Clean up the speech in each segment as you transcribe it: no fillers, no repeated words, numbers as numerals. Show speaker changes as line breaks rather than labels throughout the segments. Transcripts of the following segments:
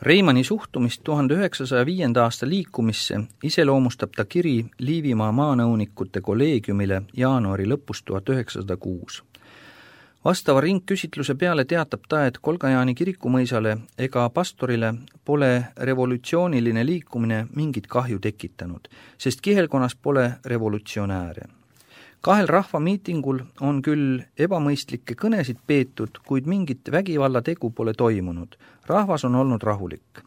Reimanni suhtumist 1905. aasta liikumisse iseloomustab ta kiri Liivimaa maanõunikute kolleegiumile jaanuari lõpus 1906. Vastava ringküsitluse peale teatab ta, et Kolgajani kirikumõisale ega pastorile pole revolutsiooniline liikumine mingit kahju tekitanud, sest kihelkonnas pole revolutsionääre. 2 rahvamiitingul on küll ebamõistlikke kõnesid peetud, kuid mingit vägivallategu pole toimunud. Rahvas on olnud rahulik.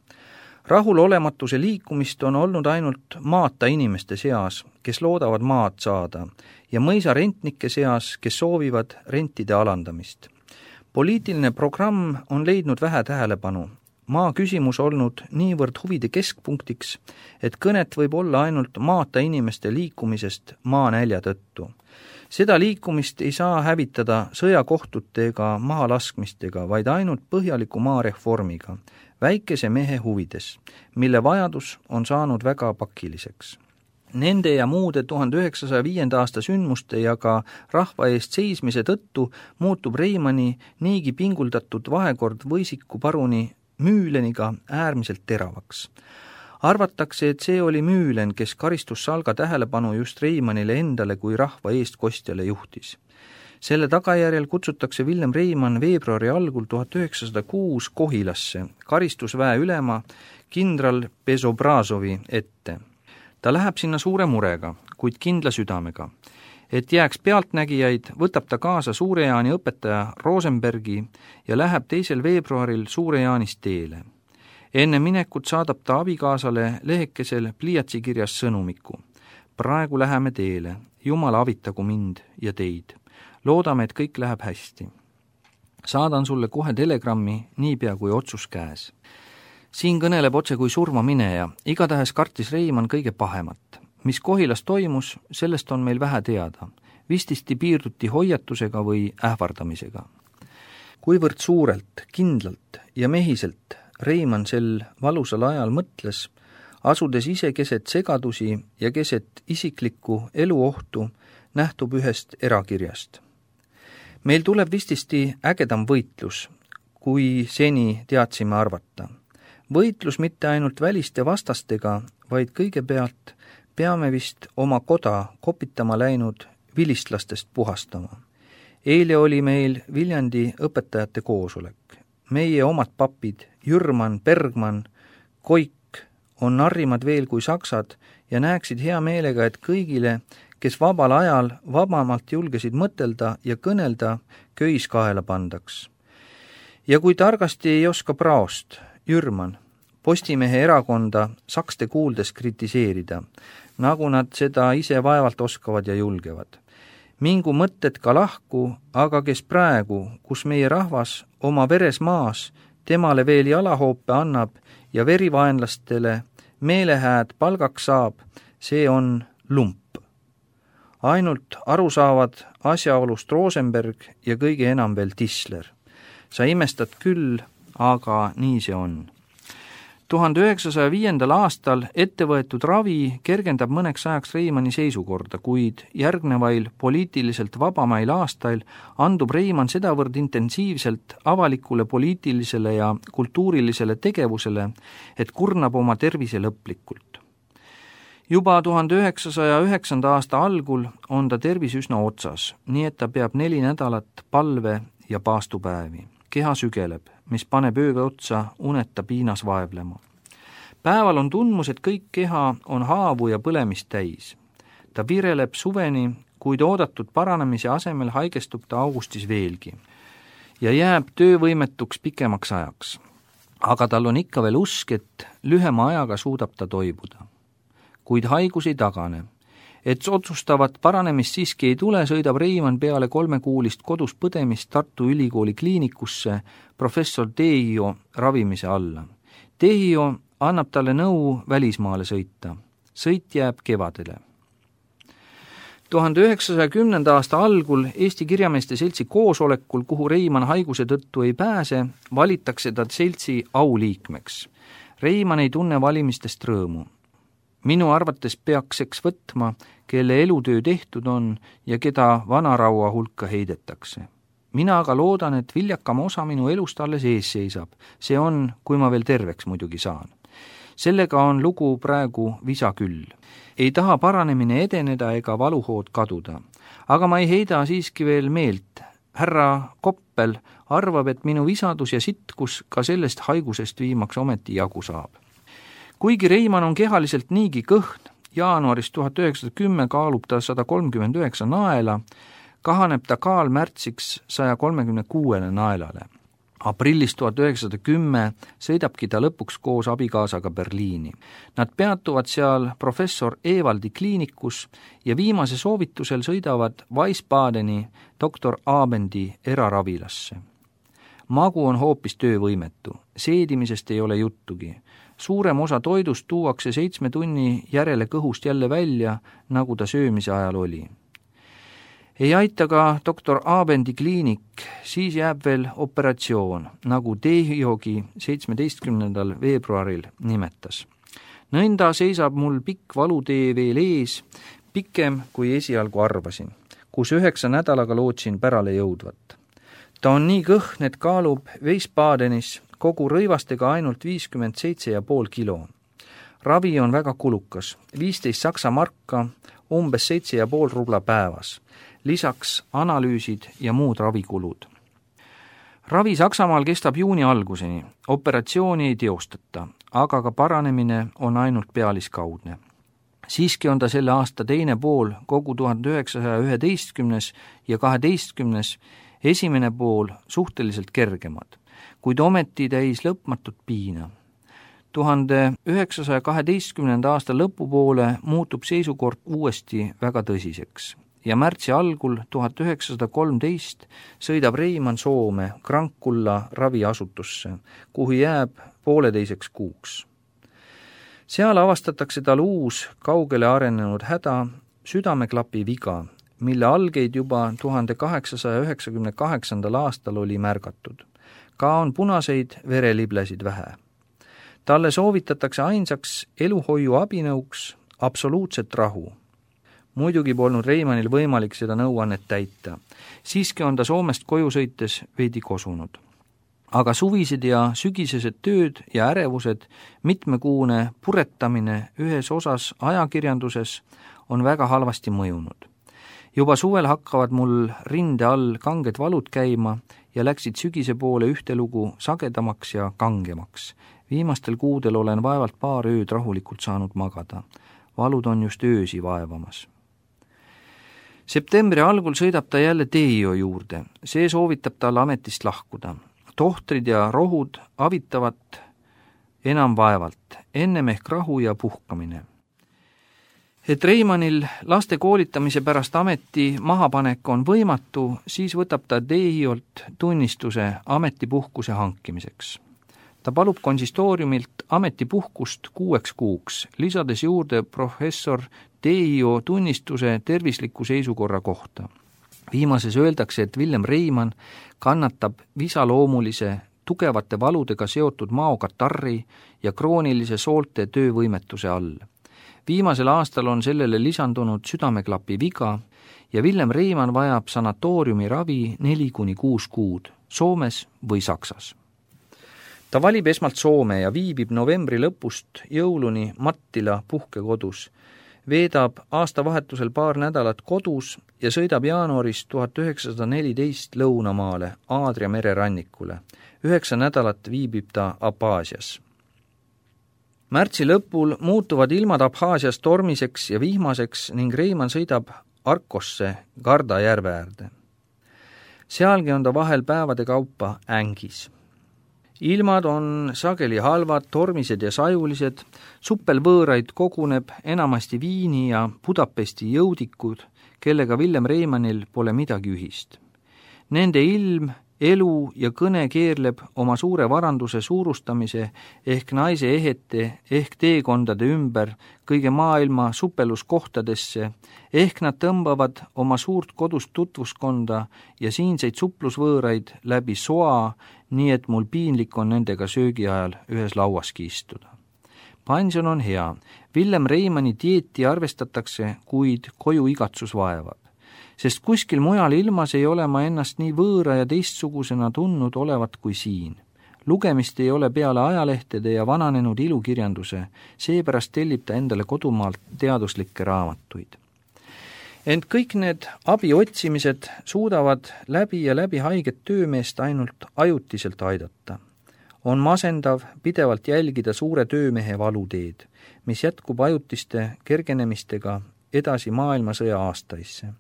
Rahulolematuse liikumist on olnud ainult maata inimeste seas, kes loodavad maad saada, ja mõisa rentnike seas, kes soovivad rentide alandamist. Poliitiline programm on leidnud vähe tähelepanu. Maa küsimus olnud niivõrd huvide keskpunktiks, et kõnet võib olla ainult maata inimeste liikumisest maanälja tõttu. Seda liikumist ei saa hävitada sõjakohtute ega mahalaskmistega, vaid ainult põhjaliku maareformiga, väikese mehe huvides, mille vajadus on saanud väga pakiliseks. Nende ja muude 1905. aasta sündmuste ja ka rahva eest seismise tõttu muutub Reimanni niigi pinguldatud vahekord Võisiku paruni Müüleniga äärmiselt teravaks. Arvatakse, et see oli Müülen, kes karistussalga tähelepanu just Reimannile endale kui rahva eestkostjale juhtis. Selle tagajärjel kutsutakse Villem Reimann veebruari algul 1906 Kohilasse karistusväe ülema kindral Bezobrazovi ette. Ta läheb sinna suure murega, kuid kindla südamega. Et jääks pealtnägijaid, võtab ta kaasa Suure-Jaani õpetaja Rosenbergi ja läheb 2. veebruaril Suure-Jaanist teele. Enne minekut saadab ta abikaasale lehekesel pliiatsikirjas sõnumiku. Praegu läheme teele, Jumal avitagu mind ja teid. Loodame, et kõik läheb hästi. Saadan sulle kohe telegrammi, niipea kui otsus käes. Siin kõneleb otse kui surma mineja, igatahes kartis Reimann kõige pahemat. Mis Kohilas toimus, sellest on meil vähe teada. Vististi piirduti hoiatusega või ähvardamisega. Kuivõrd suurelt, kindlalt ja mehiselt Reimann sel valusal ajal mõtles, asudes ise keset segadusi ja keset isiklikku eluohtu, nähtub ühest erakirjast. Meil tuleb vististi ägedam võitlus, kui seni teadsime arvata. Võitlus mitte ainult väliste vastastega, vaid kõigepealt peame vist oma koda kopitama läinud vilistlastest puhastama. Eile oli meil Viljandi õpetajate koosolek. Meie omad papid, Jürman, Bergman, Koik on narrimad veel kui saksad ja näeksid hea meelega, et kõigile, kes vabal ajal vabamalt julgesid mõtelda ja kõnelda, köis kaela pandaks. Ja kui targasti ei oska praost, Jürman, Postimehe erakonda sakste kuuldes kritiseerida, nagu nad seda ise vaevalt oskavad ja julgevad. Mingu mõtted ka lahku, aga kes praegu, kus meie rahvas oma veres maas, temale veel jalahoope annab ja verivaenlastele meelehääd palgaks saab, see on lump. Ainult aru saavad asjaolust Rosenberg ja kõige enam veel Tisler. Sa imestad küll, aga nii see on. 1905. aastal ettevõetud ravi kergendab mõneks ajaks Reimanni seisukorda, kuid järgnevail poliitiliselt vabamail aastail andub Reimann sedavõrd intensiivselt avalikule poliitilisele ja kultuurilisele tegevusele, et kurnab oma tervise lõplikult. Juba 1909. aasta algul on ta tervis üsna otsas, nii et ta peab 4 nädalat palve- ja paastupäevi. Keha sügeleb, mis paneb ööga otsa uneta piinas vaevlema. Päeval on tundmus, et kõik keha on haavu ja põlemist täis. Ta vireleb suveni, kuid oodatud paranemise asemel haigestub ta augustis veelgi ja jääb töövõimetuks pikemaks ajaks. Aga tal on ikka veel usk, et lühema ajaga suudab ta toibuda. Kuid haigus ei tagane. Et otsustavat paranemist siiski ei tule, sõidab Reimann peale 3-kuulist kodus põdemist Tartu Ülikooli kliinikusse professor Tehio ravimise alla. Tehio annab talle nõu välismaale sõita. Sõit jääb kevadele. 1910. aasta algul Eesti Kirjameeste Seltsi koosolekul, kuhu Reimann haiguse tõttu ei pääse, valitakse ta seltsi auliikmeks. Reimann ei tunne valimistest rõõmu. Minu arvates peakseks võtma, kelle elutöö tehtud on ja keda vanaraua hulka heidetakse. Mina aga loodan, et viljakama osa minu elust alles ees seisab. See on, kui ma veel terveks muidugi saan. Sellega on lugu praegu visa küll. Ei taha paranemine edeneda ega valuhood kaduda. Aga ma ei heida siiski veel meelt. Härra Koppel arvab, et minu visadus ja sitkus ka sellest haigusest viimaks ometi jagu saab. Kuigi Reimann on kehaliselt niigi kõhn, jaanuaris 1910 kaalub ta 139 naela, kahaneb ta kaal märtsiks 136 naelale. Aprillis 1910 sõidabki ta lõpuks koos abikaasaga Berliini. Nad peatuvad seal professor Evaldi kliinikus ja viimase soovitusel sõidavad Wiesbadeni doktor Abendi eraravilasse. Magu on hoopis töövõimetu, seedimisest ei ole juttugi. Suurem osa toidust tuuakse 7 tunni järele kõhust jälle välja, nagu ta söömise ajal oli. Ei aita ka doktor Abendi kliinik, siis jääb veel operatsioon, nagu Dehiogi 17. veebruaril nimetas. Nõnda seisab mul pikk valutee veel ees, pikem kui esialgu arvasin, kus 9 nädalaga lootsin pärale jõudvat. Ta on nii kõhn, et kaalub Wiesbadenis kogu rõivastega ainult 57,5 kilo. Ravi on väga kulukas, 15 saksa marka, umbes 7,5 rubla päevas. Lisaks analüüsid ja muud ravikulud. Ravi Saksamaal kestab juuni alguseni, operatsiooni ei teostata, aga ka paranemine on ainult pealiskaudne. Siiski on ta selle aasta teine pool, kogu 1911 ja 12. esimene pool suhteliselt kergemad, kuid ometi täis lõpmatut piina. 1912. aasta lõpupoole muutub seisukord uuesti väga tõsiseks. Ja märtsi algul 1913 sõidab Reimann Soome Krankkulla raviasutusse, kuhu jääb 1,5 kuuks. Seal avastatakse tal uus, kaugele arenenud häda, südameklapi viga, mille algeid juba 1898. aastal oli märgatud. Ka on punaseid vereliblesid vähe. Talle soovitatakse ainsaks eluhoiu abinõuks absoluutset rahu. Muidugi polnud Reimannil võimalik seda nõuannet täita. Siiski on ta Soomest koju sõites veidi kosunud. Aga suvised ja sügisesed tööd ja ärevused, mitmekuune puretamine ühes osas ajakirjanduses on väga halvasti mõjunud. Juba suvel hakkavad mul rinde all kanged valud käima ja läksid sügise poole ühtelugu sagedamaks ja kangemaks. Viimastel kuudel olen vaevalt paar ööd rahulikult saanud magada. Valud on just öösi vaevamas. Septembri algul sõidab ta jälle Deio juurde. See soovitab tal ametist lahkuda. Tohtrid ja rohud avitavad enam vaevalt, ennem ehk rahu ja puhkamine. Et Reimannil laste koolitamise pärast ameti mahapanek on võimatu, siis võtab ta Deiolt tunnistuse ametipuhkuse hankimiseks. Ta palub konsistooriumilt ametipuhkust 6 kuuks, lisades juurde professor Deio tunnistuse tervisliku seisukorra kohta. Viimases öeldakse, et Villem Reimann kannatab visaloomulise, tugevate valudega seotud maokatarri ja kroonilise soolte töövõimetuse all. Viimasel aastal on sellele lisandunud südameklapi viga ja Villem Reimann vajab sanatooriumi ravi 4-6 kuud, Soomes või Saksas. Ta valib esmalt Soome ja viibib novembri lõpust jõuluni Mattila puhkekodus, veedab aastavahetusel paar nädalat kodus ja sõidab jaanuaris 1914 lõunamaale Aadria mere rannikule. 9 nädalat viibib ta Abhaasias. Märtsi lõpul muutuvad ilmad Abhaasias tormiseks ja vihmaseks ning Reimann sõidab Arkosse Garda järve äärde. Sealgi on ta vahel päevade kaupa ängis. Ilmad on sageli halvad, tormised ja sajulised, suppelvõõraid koguneb enamasti Viini ja Budapesti jõudikud, kellega Villem Reimannil pole midagi ühist. Nende ilm, elu ja kõne keerleb oma suure varanduse suurustamise ehk naise ehete ehk teekondade ümber kõige maailma suppeluskohtadesse, ehk nad tõmbavad oma suurt kodust tutvuskonda ja siinseid suplusvõõraid läbi soa, nii et mul piinlik on nendega söögi ajal ühes lauaski istuda. Pension on hea. Villem Reimanni dieeti arvestatakse, kuid koju igatsus vaevad. sest kuskil mujal ilmas ei ole ma ennast nii võõra ja teistsugusena tundnud olevat kui siin. Lugemist ei ole peale ajalehtede ja vananenud ilukirjanduse, seepärast tellib ta endale kodumaalt teaduslikke raamatuid. Ent kõik need abiotsimised suudavad läbi ja läbi haiget töömeest ainult ajutiselt aidata. On masendav pidevalt jälgida suure töömehe valuteed, mis jätkub ajutiste kergenemistega edasi maailmasõja aastaisse.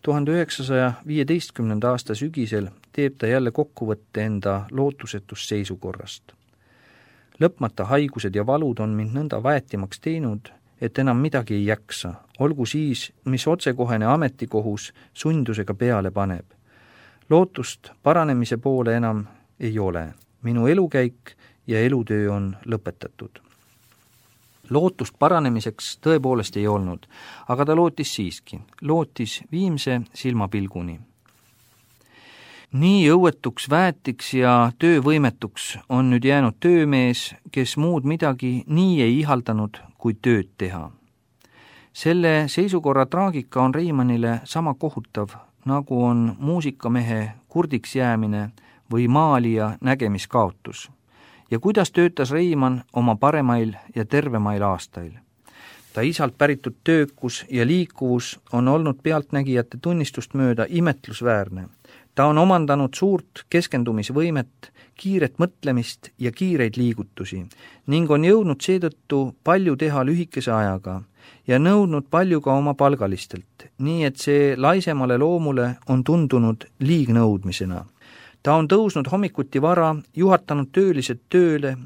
1915. aasta sügisel teeb ta jälle kokkuvõtte enda lootusetust seisukorrast. Lõpmata haigused ja valud on mind nõnda väetimaks teinud, et enam midagi ei jaksa, olgu siis, mis otsekohene ametikohus sundusega peale paneb. Lootust paranemise poole enam ei ole. Minu elukäik ja elutöö on lõpetatud. Lootust paranemiseks tõepoolest ei olnud, aga ta lootis siiski. Lootis viimse silmapilguni. Nii õuetuks väetiks ja töövõimetuks on nüüd jäänud töömees, kes muud midagi nii ei ihaldanud kui tööd teha. Selle seisukorra traagika on Reimannile sama kohutav, nagu on muusikamehe kurdiks jäämine või maalija nägemiskaotus. Ja kuidas töötas Reimann oma paremail ja tervemail aastail. Ta isalt päritud töökus ja liikuvus on olnud pealtnägijate tunnistust mööda imetlusväärne. Ta on omandanud suurt keskendumisvõimet, kiiret mõtlemist ja kiireid liigutusi ning on jõudnud seetõttu palju teha lühikese ajaga ja nõudnud palju ka oma palgalistelt, nii et see laisemale loomule on tundunud liignõudmisena. Ta on tõusnud hommikuti vara, juhatanud töölised tööle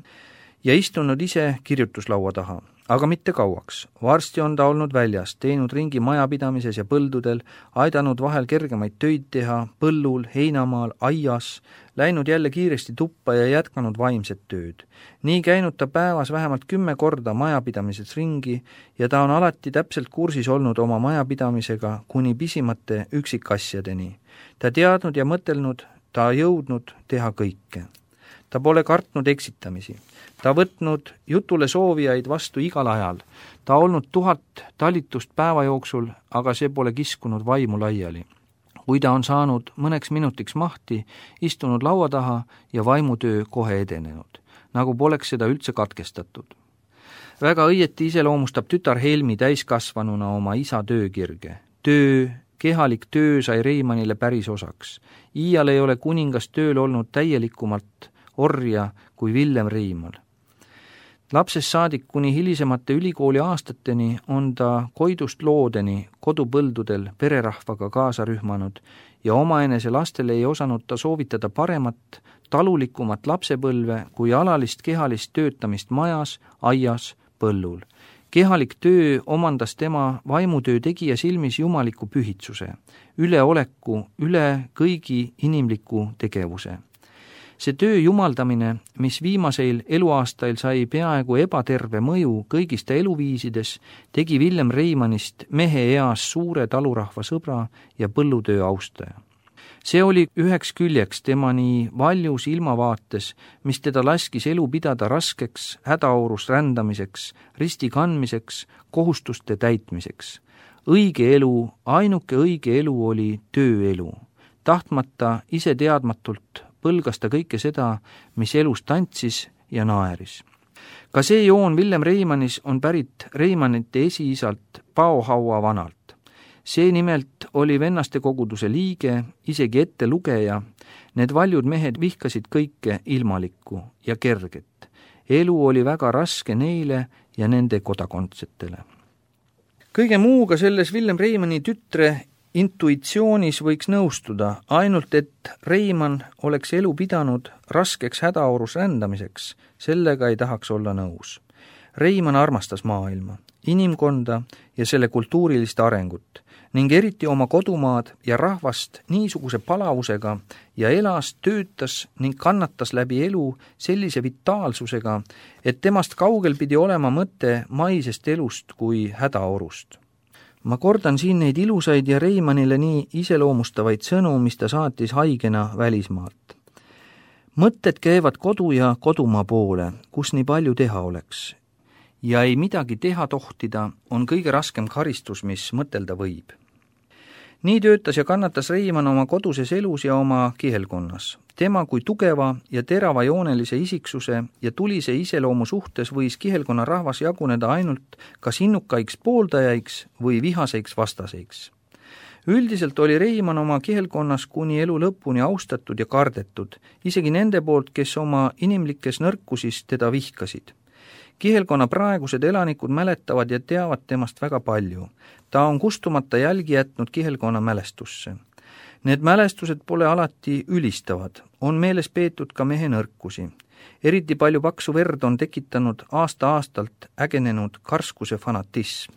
ja istunud ise kirjutuslaua taha, aga mitte kauaks. Varsti on ta olnud väljas, teinud ringi majapidamises ja põldudel, aidanud vahel kergemaid töid teha, põllul, heinamaal, aias, läinud jälle kiiresti tuppa ja jätkanud vaimset tööd. Nii käinud ta päevas vähemalt 10 korda majapidamises ringi ja ta on alati täpselt kursis olnud oma majapidamisega kuni pisimate üksikasjadeni. Ta teadnud ja mõtelnud, ta jõudnud teha kõike. Ta pole kartnud eksitamisi. Ta võtnud jutule soovijaid vastu igal ajal. Ta olnud 1000 talitust päeva jooksul, aga see pole kiskunud vaimu laiali. Kui ta on saanud mõneks minutiks mahti, istunud laua taha ja vaimutöö kohe edenenud, nagu poleks seda üldse katkestatud. Väga õieti iseloomustab tütar Helmi täiskasvanuna oma isa töökirge. Kehalik töö sai Reimannile päris osaks. Iial ei ole kuningas tööl olnud täielikumalt orja kui Villem Reimann. Lapsest saadik kuni hilisemate ülikooli aastateni on ta koidust loodeni kodupõldudel pererahvaga kaasa rühmanud ja omaenese lastele ei osanud ta soovitada paremat, talulikumat lapsepõlve kui alalist kehalist töötamist majas, aias, põllul. Kehalik töö omandas tema vaimutöö tegija silmis jumaliku pühitsuse, üleoleku, üle kõigi inimliku tegevuse. See töö jumaldamine, mis viimaseil eluaastail sai peaaegu ebaterve mõju kõigis ta eluviisides, tegi Villem Reimannist mehe eas suure talurahva sõbra ja põllutöö austaja. See oli üheks küljeks tema nii valjus ilmavaates, mis teda laskis elu pidada raskeks, hädaorus rändamiseks, risti kandmiseks, kohustuste täitmiseks. Õige elu, ainuke õige elu oli tööelu. Tahtmata, ise teadmatult põlgas ta kõike seda, mis elus tantsis ja naeris. Ka see joon Villem Reimannis on pärit Reimannite esiisalt Paohaua vanalt. See nimelt oli vennaste koguduse liige, isegi ettelugeja. Need valjud mehed vihkasid kõike ilmalikku ja kerget. Elu oli väga raske neile ja nende kodakondsetele. Kõige muuga selles Villem Reimanni tütre intuitsioonis võiks nõustuda, ainult et Reimann oleks elu pidanud raskeks hädaorus rändamiseks, sellega ei tahaks olla nõus. Reimann armastas maailma, inimkonda ja selle kultuurilist arengut ning eriti oma kodumaad ja rahvast niisuguse palavusega ja elas, töötas ning kannatas läbi elu sellise vitaalsusega, et temast kaugel pidi olema mõte maisest elust kui hädaorust. Ma kordan siin neid ilusaid ja Reimannile nii iseloomustavaid sõnu, mis ta saatis haigena välismaalt. Mõtted käivad kodu ja kodumaa poole, kus nii palju teha oleks. Ja ei midagi teha tohtida on kõige raskem karistus, mis mõtelda võib. Nii töötas ja kannatas Reimann oma koduses elus ja oma kihelkonnas. Tema kui tugeva ja teravajoonelise isiksuse ja tulise iseloomu suhtes võis kihelkonna rahvas jaguneda ainult kas innukaiks pooldajaiks või vihaseiks vastaseiks. Üldiselt oli Reimann oma kihelkonnas kuni elu lõpuni austatud ja kardetud, isegi nende poolt, kes oma inimlikes nõrkusis teda vihkasid. Kihelkonna praegused elanikud mäletavad ja teavad temast väga palju. Ta on kustumata jälgi jätnud kihelkonna mälestusse. Need mälestused pole alati ülistavad, on meeles peetud ka mehe nõrkusi. Eriti palju paksu verd on tekitanud aasta-aastalt ägenenud karskuse fanatism.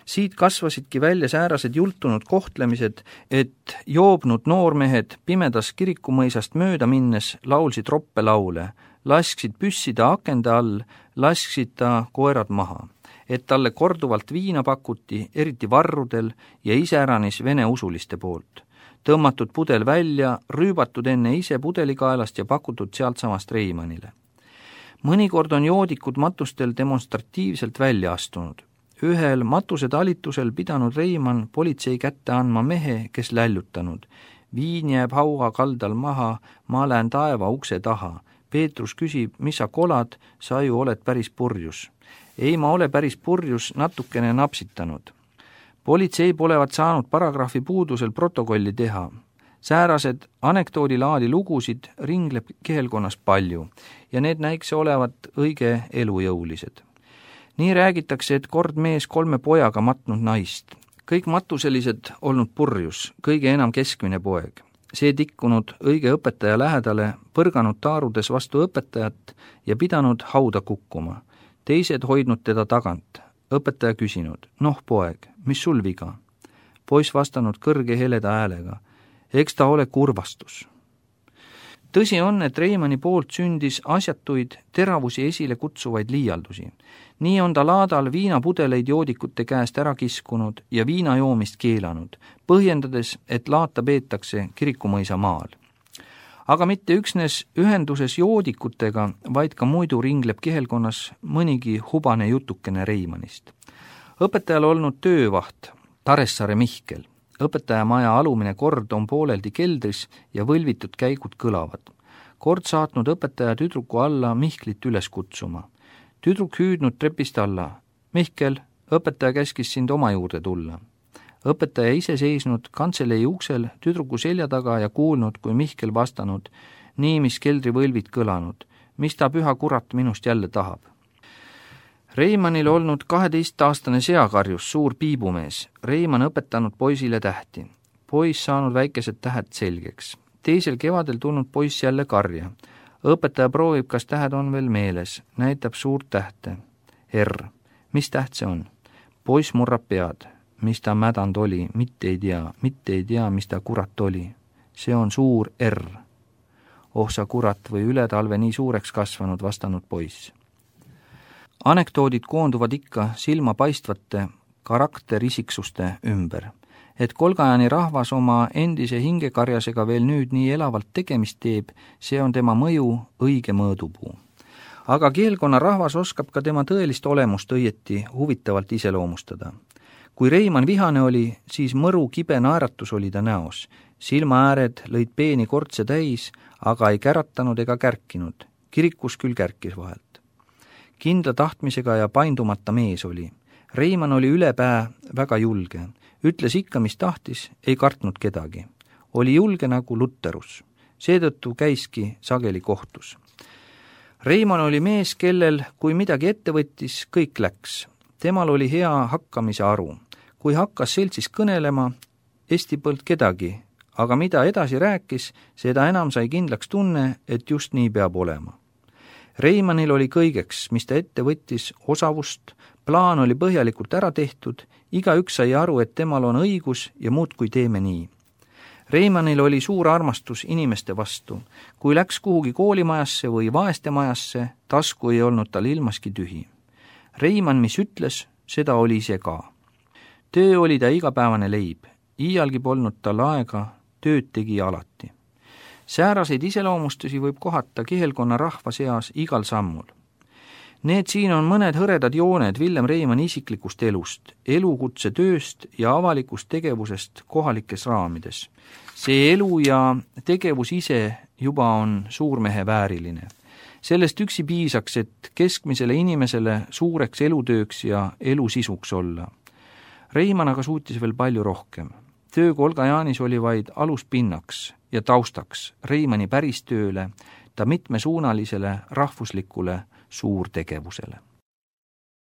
Siit kasvasidki välja säärased jultunud kohtlemised, et joobnud noormehed pimedas kirikumõisast mööda minnes laulsid roppelaule, lasksid püssida akende all, lasksid ta koerad maha, et talle korduvalt viina pakuti, eriti varrudel ja iseäranis vene usuliste poolt. Tõmmatud pudel välja, rüübatud enne ise pudelikaelast ja pakutud sealtsamast Reimannile. Mõnikord on joodikud matustel demonstratiivselt välja astunud. Ühel matuse talitusel pidanud Reimann politsei kätte andma mehe, kes lällutanud. Viin jääb haua kaldal maha, ma lähen taeva ukse taha. Peetrus küsib, mis sa kolad, sa ju oled päris purjus. Ei, ma ole päris purjus, natukene napsitanud. Politsei polevat saanud paragrahvi puudusel protokolli teha. Säärased anekdoodilaadi lugusid ringleb kihelkonnas palju ja need näikse olevat õige elujõulised. Nii räägitakse, et kord mees 3 pojaga matnud naist. Kõik matuselised olnud purjus, kõige enam keskmine poeg. See tikkunud õige õpetaja lähedale, põrganud taarudes vastu õpetajat ja pidanud hauda kukkuma. Teised hoidnud teda tagant. Õpetaja küsinud, noh poeg, mis sul viga? Poiss vastanud kõrge heleda häälega, eks ta ole kurvastus. Tõsi on, et Reimanni poolt sündis asjatuid teravusi esile kutsuvaid liialdusi. Nii on ta laadal viinapudeleid joodikute käest ära kiskunud ja viinajoomist keelanud, põhjendades, et laata peetakse Kirikumõisa maal. Aga mitte üksnes ühenduses joodikutega, vaid ka muidu ringleb kihelkonnas mõnigi hubane jutukene Reimannist. Õpetajal olnud töövaht, Taressaare Mihkel. Õpetajamaja alumine kord on pooleldi keldris ja võlvitud käigud kõlavad. Kord saatnud õpetaja tüdruku alla Mihklit üles kutsuma. Tüdruk hüüdnud trepist alla. Mihkel, õpetaja käskis sind oma juurde tulla. Õpetaja ise seisnud kantselei uksel tüdruku selja taga ja kuulnud, kui Mihkel vastanud, nii mis keldri võlvid kõlanud, mis ta püha kurat minust jälle tahab. Reimannil olnud 12-aastane seakarjus, suur piibumees. Reimann õpetanud poisile tähti. Poiss saanud väikesed tähed selgeks. Teisel kevadel tulnud poiss jälle karja. Õpetaja proovib, kas tähed on veel meeles. Näitab suurt tähte. R. Mis täht see on? Poiss murrab pead. Mis ta mädand oli? Mitte ei tea, mis ta kurat oli. See on suur R. Oh sa kurat või üle talve nii suureks kasvanud, vastanud poiss. Anekdoodid koonduvad ikka silmapaistvate karakterisiksuste ümber, et Kolgajani rahvas oma endise hingekarjasega veel nüüd nii elavalt tegemist teeb, see on tema mõju õige mõõdupuu. Aga kihelkonna rahvas oskab ka tema tõelist olemust õieti huvitavalt iseloomustada. Kui Reimann vihane oli, siis mõru kibe naeratus oli ta näos. Silmaääred lõid peeni kortse täis, aga ei käratanud ega kärkinud. Kirikus küll kärkis vahelt. Kindla tahtmisega ja paindumata mees oli. Reimann oli ülepää väga julge. Ütles ikka, mis tahtis, ei kartnud kedagi. Oli julge nagu Lutterus. Seetõttu käiski sageli kohtus. Reimann oli mees, kellel, kui midagi ette võttis, kõik läks. Temal oli hea hakkamise aru. Kui hakkas seltsis kõnelema, esti polnud kedagi, aga mida edasi rääkis, seda enam sai kindlaks tunne, et just nii peab olema. Reimannil oli kõigeks, mis ta ette võttis, osavust, plaan oli põhjalikult ära tehtud, igaüks sai aru, et temal on õigus ja muudkui teeme nii. Reimannil oli suur armastus inimeste vastu. Kui läks kuhugi koolimajasse või vaestemajasse, tasku ei olnud tal ilmaski tühi. Reimann, mis ütles, seda oli ise ka. Töö oli ta igapäevane leib, iialgi polnud tal aega, tööd tegi alati. Sääraseid iseloomustusi võib kohata kihelkonna rahva seas igal sammul. Need siin on mõned hõredad jooned Villem Reimanni isiklikust elust, elukutse tööst ja avalikust tegevusest kohalikes raamides. See elu ja tegevus ise juba on suurmehe vääriline. Sellest üksi piisaks, et keskmisele inimesele suureks elutööks ja elusisuks olla. Reimann aga suutis veel palju rohkem. Töö Kolgajaanis oli vaid aluspinnaks ja taustaks Reimanni päristööle, ta mitmesuunalisele rahvuslikule suurtegevusele.